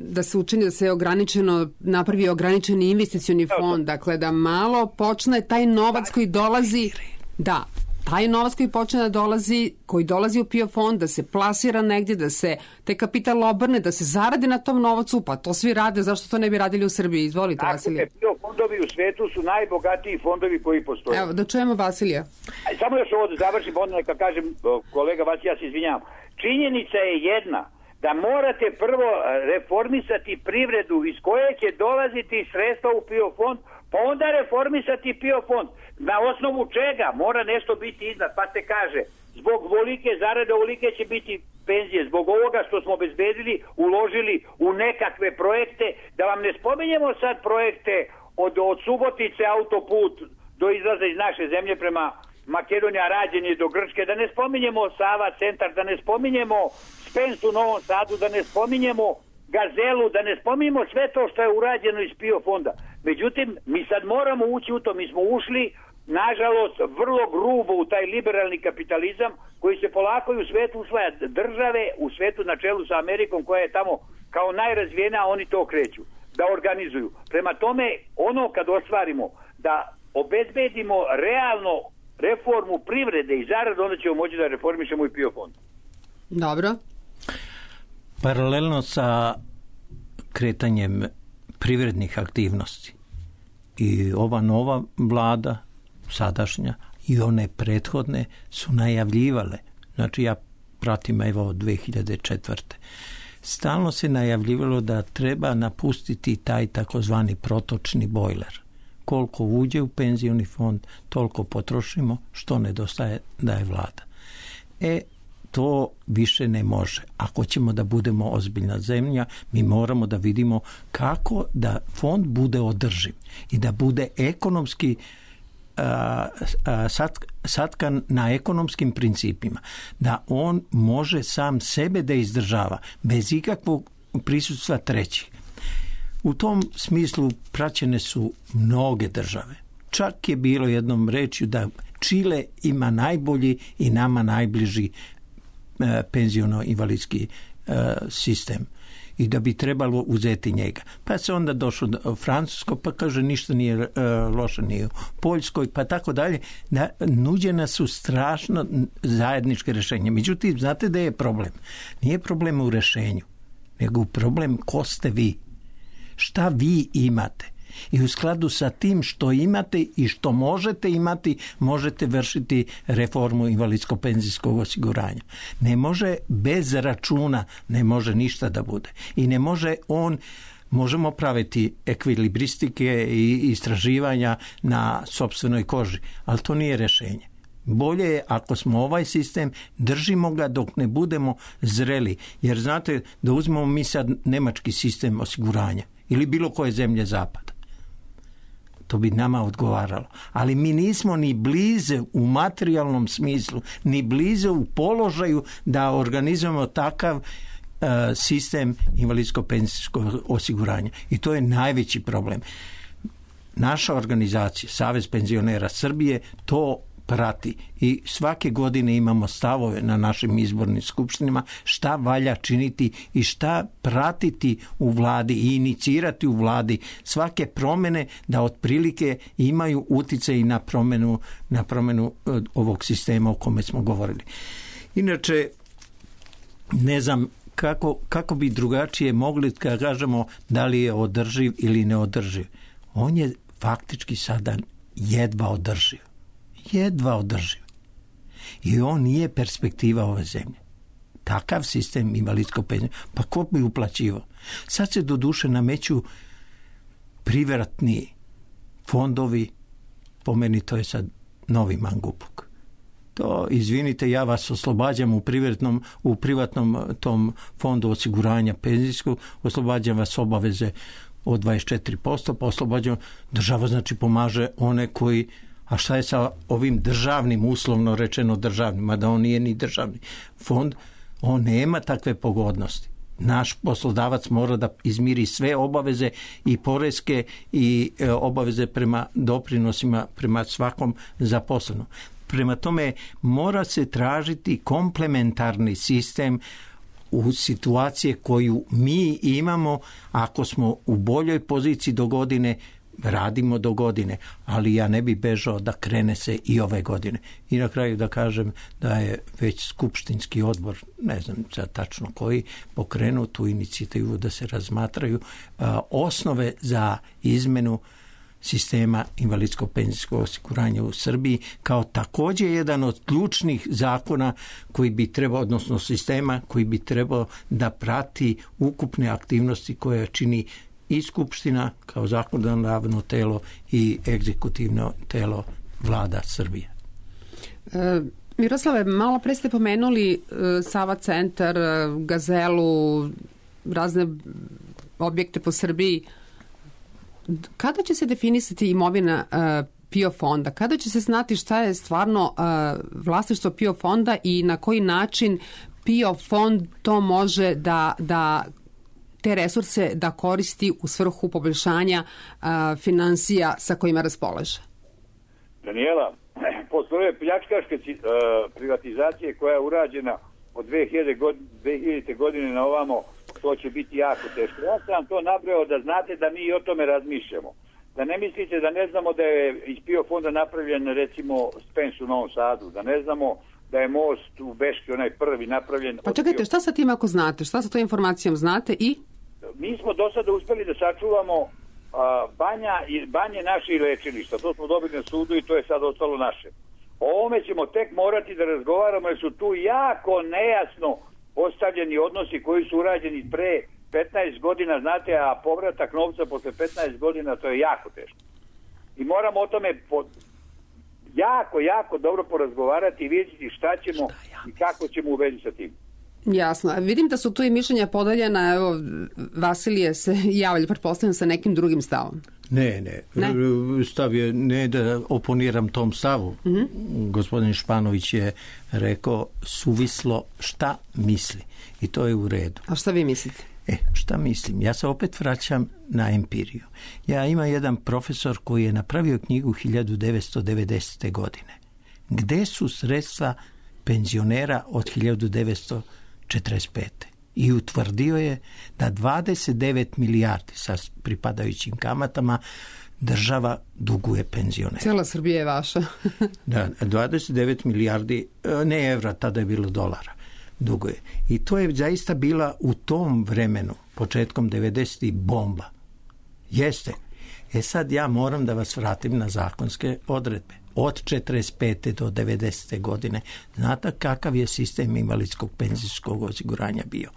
da se učini da se ograničeno, napravi ograničeni investicioni fond, dakle da malo počne taj novac koji dolazi, da, taj novac koji počne da dolazi, koji dolazi u PIO fond, da se plasira negdje, da se te kapital obrne, da se zaradi na tom novcu, pa to svi rade, zašto to ne bi radili u Srbiji? Izvolite, Vasilije. PIO fondovi u svetu su najbogatiji fondovi koji postoje. Evo, da čujemo Vasilija. Samo još ovo da završim, onda neka kažem, kolega Vasilija, ja se izvinjavam. Činjenica je jedna, da morate prvo reformisati privredu iz koje će dolaziti sredstva u PIO fond, pa onda reformisati PIO fond. Na osnovu čega? Mora nešto biti iznad, pa se kaže, zbog volike zarade, ovolike će biti penzije, zbog ovoga što smo obezbedili, uložili u nekakve projekte, da vam ne spominjemo sad projekte od, od Subotice autoput do izlaza iz naše zemlje prema Makedonija, rađenje do Grčke, da ne spominjemo Sava centar, da ne spominjemo Spens u Novom Sadu, da ne spominjemo Gazelu, da ne spominjemo sve to što je urađeno iz PIO fonda. Međutim, mi sad moramo ući u to, mi smo ušli, nažalost, vrlo grubo u taj liberalni kapitalizam koji se polako i u svetu usvaja. Države u svetu na čelu sa Amerikom, koja je tamo kao najrazvijena, oni to kreću da organizuju. Prema tome, ono kad ostvarimo da obezbedimo realno reformu privrede i zaradu, onda ćemo moći da reformišemo i PIO fond. Dobro. Paralelno sa kretanjem privrednih aktivnosti i ova nova vlada, sadašnja, i one prethodne su najavljivale, znači ja pratim evo od dve hiljade četvrte. Stalno se najavljivalo da treba napustiti taj takozvani protočni bojler. Koliko uđe u penzioni fond, toliko potrošimo, što nedostaje daje vlada. E, to više ne može. Ako ćemo da budemo ozbiljna zemlja, mi moramo da vidimo kako da fond bude održiv i da bude ekonomski a, a, satkan na ekonomskim principima, da on može sam sebe da izdržava bez ikakvog prisustva trećih. U tom smislu praćene su mnoge države. Čak je bilo jednom rečju da Čile ima najbolji i nama najbliži e, penziono-invalidski e, sistem i da bi trebalo uzeti njega. Pa se onda došlo do Francusko, pa kaže ništa nije e, loše, nije u Poljskoj, pa tako dalje. Da, nuđena su strašno zajedničke rješenja. Međutim, znate da je problem? Nije problem u rješenju, nego problem ko ste vi. Šta vi imate? I u skladu sa tim što imate i što možete imati, možete vršiti reformu invalidsko-penzijskog osiguranja. Ne može bez računa, ne može ništa da bude. I ne može on, možemo praviti ekvilibristike i istraživanja na sopstvenoj koži, ali to nije rješenje. Bolje je ako smo ovaj sistem, držimo ga dok ne budemo zreli. Jer znate, da uzmemo mi sad nemački sistem osiguranja ili bilo koje zemlje zapada. To bi nama odgovaralo. Ali mi nismo ni blize u materijalnom smislu, ni blize u položaju da organizujemo takav uh, sistem invalidsko-penzijskog osiguranja. I to je najveći problem. Naša organizacija, Savez penzionera Srbije, to prati i svake godine imamo stavove na našim izbornim skupštinama šta valja činiti i šta pratiti u vladi i inicirati u vladi svake promjene da otprilike imaju utjecaj na promjenu, na promjenu ovog sistema o kome smo govorili. Inače, ne znam kako, kako bi drugačije mogli kad kažemo da li je održiv ili neodrživ. On je faktički sada jedva održiv. jedva održiv. I on nije perspektiva ove zemlje. Takav sistem invalidskog penzija, pa ko bi uplaćivao? Sad se do duše nameću privatni fondovi, po meni to je sad novi mangupuk. To, izvinite, ja vas oslobađam u privatnom, u privatnom tom fondu osiguranja penzijskog, oslobađam vas obaveze od dvadeset četiri posto, pa oslobađam, država znači pomaže one koji. A šta je sa ovim državnim, uslovno rečeno državnim, mada on nije ni državni fond, on nema takve pogodnosti. Naš poslodavac mora da izmiri sve obaveze i poreske i e, obaveze prema doprinosima, prema svakom zaposlenom. Prema tome mora se tražiti komplementarni sistem u situacije koju mi imamo ako smo u boljoj poziciji do godine, radimo do godine, ali ja ne bi bežao da krene se i ove godine. I na kraju da kažem da je već skupštinski odbor, ne znam sad tačno koji, pokrenuo tu inicijativu da se razmatraju a, osnove za izmenu sistema invalidskog penzijskog osiguranja u Srbiji kao također jedan od ključnih zakona koji bi trebao, odnosno sistema koji bi trebao da prati ukupne aktivnosti koje čini i Skupština kao zakonodavno telo i egzekutivno telo vlada Srbije. E, Miroslave, malo pre ste pomenuli e, Sava centar, Gazelu, razne objekte po Srbiji. Kada će se definisati imovina e, PIO fonda? Kada će se znati šta je stvarno e, vlasništvo PIO fonda i na koji način PIO fond to može da, da te resurse da koristi u svrhu poboljšanja a, financija sa kojima raspolaže? Daniela, postoje pljačkaške uh, privatizacije koja je urađena od dve hiljadite godine na ovamo, to će biti jako teško. Ja sam to nabrao da znate da mi i o tome razmišljamo. Da ne mislite da ne znamo da je iz PIO fonda napravljen recimo Spens u Novom Sadu, da ne znamo da je most u Beški onaj prvi napravljen. Pa čekajte, šta sa tim ako znate? Šta sa tom informacijom znate i? Mi smo do sada uspeli da sačuvamo a, banja i banje naše i lečilišta. To smo dobili na sudu i to je sad ostalo naše. O ovome ćemo tek morati da razgovaramo jer su tu jako nejasno postavljeni odnosi koji su urađeni pre petnaest godina, znate, a povratak novca posle petnaest godina, to je jako teško. I moramo o tome po, jako, jako dobro porazgovarati i vidjeti šta ćemo i kako ćemo u vezi sa tim. Jasno. Vidim da su tu i mišljenja podeljena. Evo, Vasilije se javlja, pretpostavljam, sa nekim drugim stavom. Ne, ne. ne? Stav je ne da oponiram tom stavu. Mm-hmm. Gospodin Španović je rekao suvislo šta misli. I to je u redu. A šta vi mislite? E, šta mislim? Ja se opet vraćam na empiriju. Ja imam jedan profesor koji je napravio knjigu hiljadu devetsto devedesete. godine. Gde su sredstva penzionera od hiljadu devetsto četrdeset pete. I utvrdio je da dvadeset devet milijardi sa pripadajućim kamatama država duguje penzionera. Cijela Srbija je vaša. Da, dvadeset devet milijardi, ne evra, tada je bilo dolara, duguje. I to je zaista bila u tom vremenu, početkom devedesetih bomba. Jeste. E sad ja moram da vas vratim na zakonske odredbe. Od četrdeset pete do devedesete godine, znate kakav je sistem invalidskog penzijskog osiguranja bio?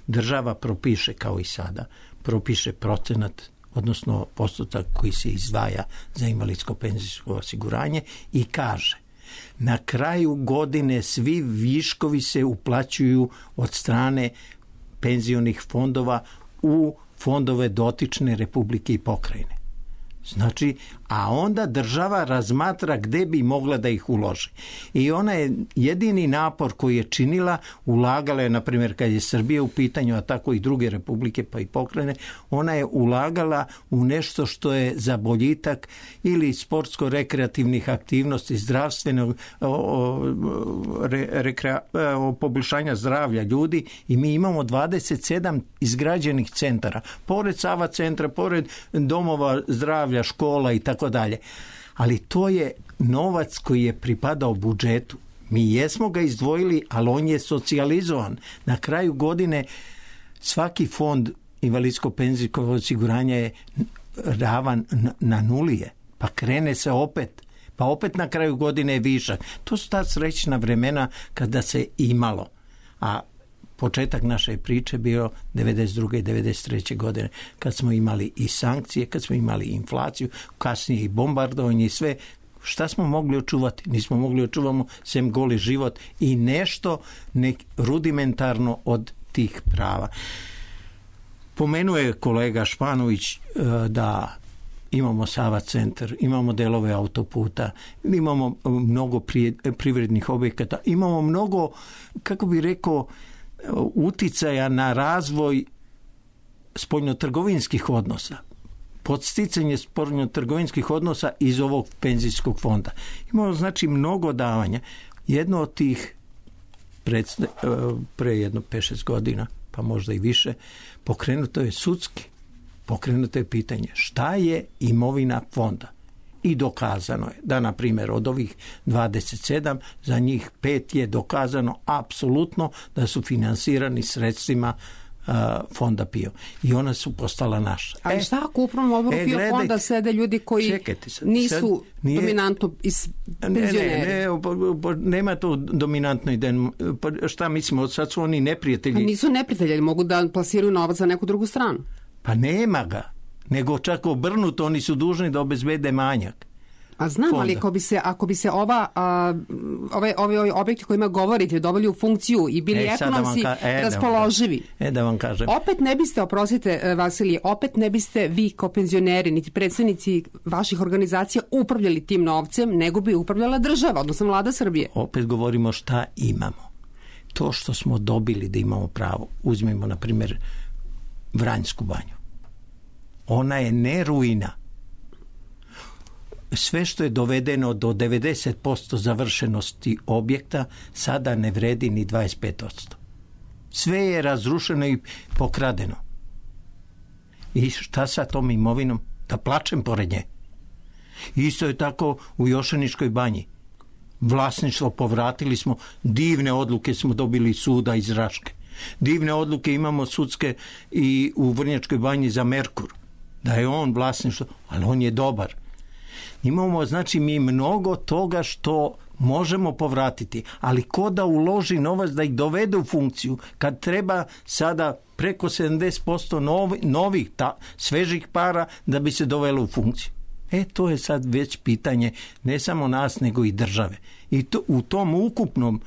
Država propiše, kao i sada, propiše procenat, odnosno postotak koji se izdvaja za invalidsko penzijsko osiguranje i kaže: na kraju godine svi viškovi se uplaćuju od strane penzionih fondova u fondove dotične republike i pokrajine. Znači, a onda država razmatra gde bi mogla da ih uloži. I ona je jedini napor koji je činila, ulagala je, na primjer, kad je Srbija u pitanju, a tako i druge republike pa i pokrajine, ona je ulagala u nešto što je za boljitak ili sportsko-rekreativnih aktivnosti, zdravstvenog o, o, re, rekrea, o, poboljšanja zdravlja ljudi, i mi imamo dvadeset sedam izgrađenih centara, pored Sava centra, pored domova zdravlja, škola i tako dalje. Ali to je novac koji je pripadao budžetu. Mi jesmo ga izdvojili, ali on je socijalizovan. Na kraju godine svaki fond invalidsko-penzijskog osiguranja je ravan na nulije. Pa krene se opet. Pa opet na kraju godine je višak. To su ta srećna vremena kada se imalo. A početak naše priče bio devedeset druge i devedeset treće godine, kad smo imali i sankcije, kad smo imali inflaciju, kasnije i bombardovanje i sve. Šta smo mogli očuvati? Nismo mogli očuvamo sem goli život i nešto nek rudimentarno od tih prava. Pomenuo je kolega Španović da imamo Sava centar, imamo delove autoputa, imamo mnogo privrednih objekata, imamo mnogo, kako bi rekao, uticaja na razvoj spoljnotrgovinskih odnosa, podsticanje spoljnotrgovinskih odnosa iz ovog penzijskog fonda. Imamo znači mnogo davanja. Jedno od tih pred, pre jedno pet šest godina, pa možda i više, pokrenuto je sudski. Pokrenuto je pitanje šta je imovina fonda. I dokazano je da, na primjer, od ovih dvadeset sedam, za njih pet je dokazano apsolutno da su finansirani sredstvima uh, fonda PIO. I ona su postala naša. Ali šta ako u upravnom odboru e, PIO gledajte, fonda sede ljudi koji sad, nisu sad nije, dominantno iz penzioneri? Ne, ne, ne, nema to dominantno idejno. Šta mislimo, sad su oni neprijatelji. A nisu neprijatelji, mogu da plasiraju novac za neku drugu stranu. Pa nema ga. Nego čak obrnuto, oni su dužni da obezbede manjak. A znam, fonda. Ali ako bi se, ako bi se ova, a, ove, ove, ove objekti kojima govorite doveli u funkciju i bili e, ekonomski da ka, e, raspoloživi, da e, da vam kažem. Opet ne biste, oprostite Vasilije, opet ne biste vi kao penzioneri, niti predstavnici vaših organizacija upravljali tim novcem, nego bi upravljala država, odnosno vlada Srbije. Opet govorimo šta imamo. To što smo dobili da imamo pravo. Uzmimo, na primjer, Vranjsku banju. Ona je ne ruina. Sve što je dovedeno do devedeset posto završenosti objekta sada ne vredi ni dvadeset pet posto. Sve je razrušeno i pokradeno. I šta sa tom imovinom? Da plačem pored nje. Isto je tako u Jošaničkoj banji. Vlasništvo povratili smo, divne odluke smo dobili suda iz Raške. Divne odluke imamo sudske i u Vrnjačkoj banji za Merkur. Da je on vlasništvo, ali on je dobar. Imamo, znači, mi mnogo toga što možemo povratiti, ali ko da uloži novac da ih dovede u funkciju, kad treba sada preko sedamdeset posto novi, novih, ta, svežih para da bi se dovelo u funkciju. E, to je sad već pitanje ne samo nas, nego i države. I to, u tom ukupnom,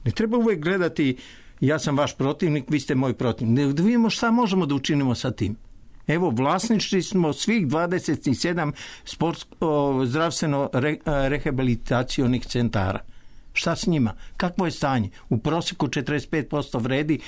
ne treba uvijek gledati ja sam vaš protivnik, vi ste moj protivnik. Da vidimo šta možemo da učinimo sa tim. Evo, vlasnički smo svih dvadeset sedam sport, o, zdravstveno re, rehabilitacionih centara. Šta s njima? Kakvo je stanje? U prosjeku četrdeset pet posto vredi,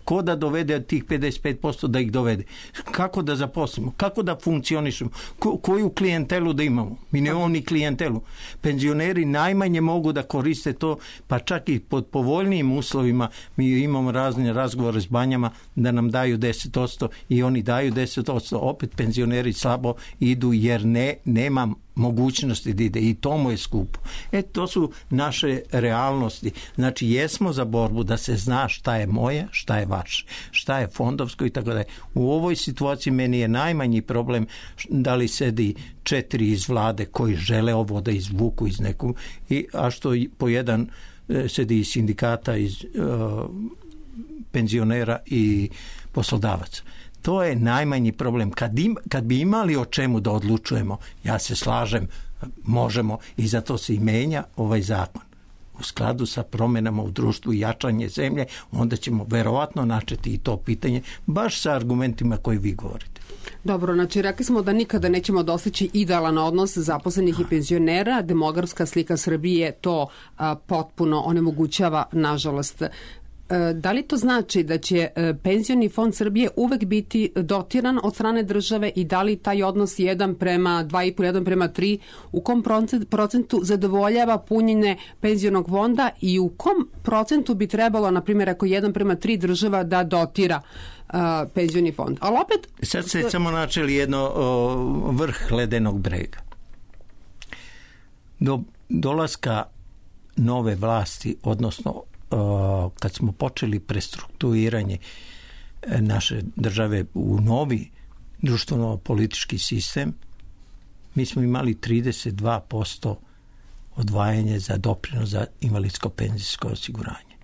ko da dovede tih pedeset pet posto da ih dovede? Kako da zaposlimo? Kako da funkcionišemo? Ko, koju klijentelu da imamo? Mi nemamo ni klijentelu. Penzioneri najmanje mogu da koriste to, pa čak i pod povoljnijim uslovima mi imamo razne razgovore s banjama da nam daju deset posto i oni daju deset posto. Opet penzioneri slabo idu jer ne, nema mogućnosti da ide i to mu je skupo. E, to su naše realnosti. Znači, jesmo za borbu da se zna šta je moje, šta je vaše, šta je fondovsko i tako da je. U ovoj situaciji meni je najmanji problem da li sedi četiri iz vlade koji žele ovo da izvuku iz nekog, i, a što po jedan sedi iz sindikata, iz uh, penzionera i poslodavaca. To je najmanji problem. Kad, im, kad bi imali o čemu da odlučujemo, ja se slažem, možemo, i zato se i menja ovaj zakon. U skladu sa promenama u društvu i jačanje zemlje, onda ćemo verovatno načeti i to pitanje, baš sa argumentima koji vi govorite. Dobro, znači rekli smo da nikada nećemo dostići idealan odnos zaposlenih i penzionera. Demografska slika Srbije to a, potpuno onemogućava, nažalost. Da li to znači da će penzioni fond Srbije uvek biti dotiran od strane države i da li taj odnos jedan prema dva i po, jedan prema tri, u kom procentu zadovoljava punjenje penzionog fonda i u kom procentu bi trebalo, na primjer, ako jedan prema tri država da dotira uh, penzioni fond? Ali opet... Sad ste samo načeli jedno o, vrh ledenog brega. Do dolaska nove vlasti, odnosno kad smo počeli prestrukturiranje naše države u novi društveno-politički sistem, mi smo imali trideset dva posto odvajanje za doprinos za invalidsko-penzijsko osiguranje.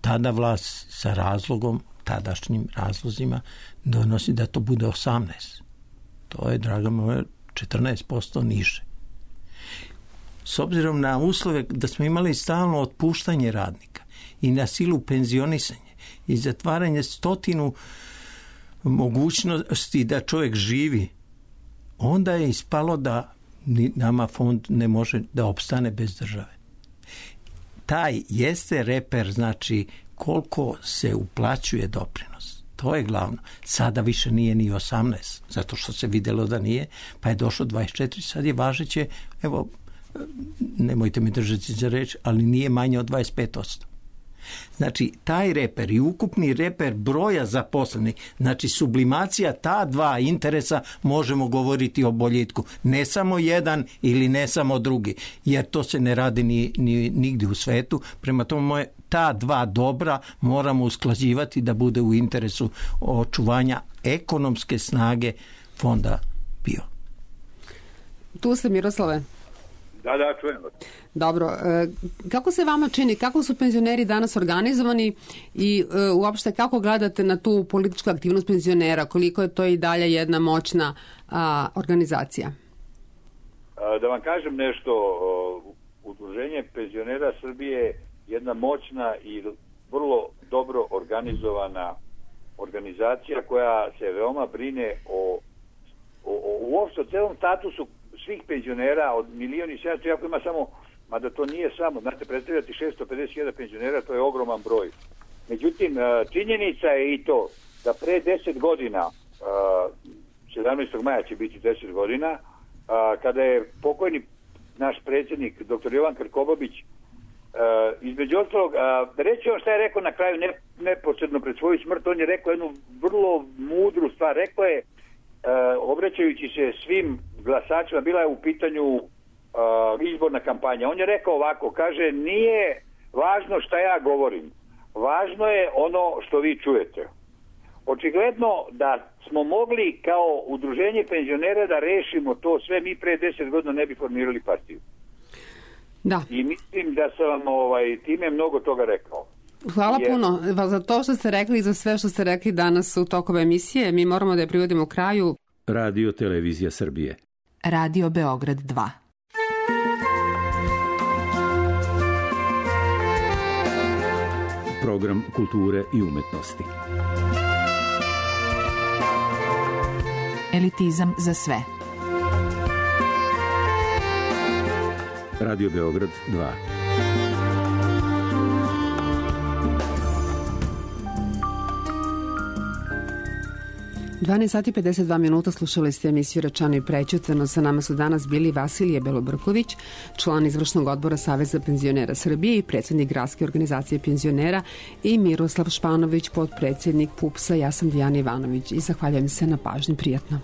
Tada vlast sa razlogom, tadašnjim razlozima, donosi da to bude osamnaest. To je, draga moja, četrnaest posto niže. S obzirom na uslove da smo imali stalno otpuštanje radnika i na silu penzionisanje i zatvaranje stotinu mogućnosti da čovjek živi, onda je ispalo da nama fond ne može da opstane bez države. Taj jeste reper, znači koliko se uplaćuje doprinos. To je glavno. Sada više nije ni osamnaest, zato što se vidjelo da nije, pa je došlo dvadeset četiri, sad je važeće, evo, nemojte mi držati za reč, ali nije manje od dvadeset pet posto. Znači, taj reper i ukupni reper broja zaposlenih, znači sublimacija ta dva interesa, možemo govoriti o boljitku. Ne samo jedan ili ne samo drugi, jer to se ne radi ni, ni nigdje u svetu. Prema tome, moje, ta dva dobra moramo usklađivati da bude u interesu očuvanja ekonomske snage fonda PIO. Tu ste, Miroslave. Da, da, čujem. Dobro, kako se vama čini, kako su penzioneri danas organizovani i uopšte kako gledate na tu političku aktivnost penzionera, koliko je to i dalje jedna moćna a, organizacija? Da vam kažem nešto, Udruženje penzionera Srbije je jedna moćna i vrlo dobro organizovana organizacija koja se veoma brine o, o, o uopšte o celom statusu svih penzionera od milion i sedamsto, jako ima samo, mada to nije samo, znate, predstavljati šesto pedeset hiljada penzionera, to je ogroman broj. Međutim, činjenica je i to da pre deset godina, sedamnaestog maja će biti deset godina, kada je pokojni naš predsjednik, doktor Jovan Krkobabić, između ostalog, reći on šta je rekao na kraju, ne, neposredno pred svoju smrt, on je rekao jednu vrlo mudru stvar, rekao je, obraćajući se svim glasačima, bila je u pitanju uh, izborna kampanja. On je rekao ovako, kaže, nije važno šta ja govorim, važno je ono što vi čujete. Očigledno da smo mogli kao udruženje penzionera da rešimo to sve, mi pre deset godina ne bi formirali partiju. Da. I mislim da sam vam ovaj, time mnogo toga rekao. Hvala Jer... puno za to što ste rekli i za sve što ste rekli danas u toku emisije. Mi moramo da je privodimo kraju. Radio Televizija Srbije. Radio Beograd dva. Program kulture i umetnosti. Elitizam za sve. Radio Beograd dva. dvanaest sati i pedeset dva minuta, slušali ste emisiju Rečeno i prećutano. Sa nama su danas bili Vasilije Belobrković, član izvršnog odbora Saveza penzionera Srbije i predsjednik Gradske organizacije penzionera, i Miroslav Španović, potpredsjednik P U P S-a. Ja sam Dijana Ivanović i zahvaljujem se na pažnji. Prijatno.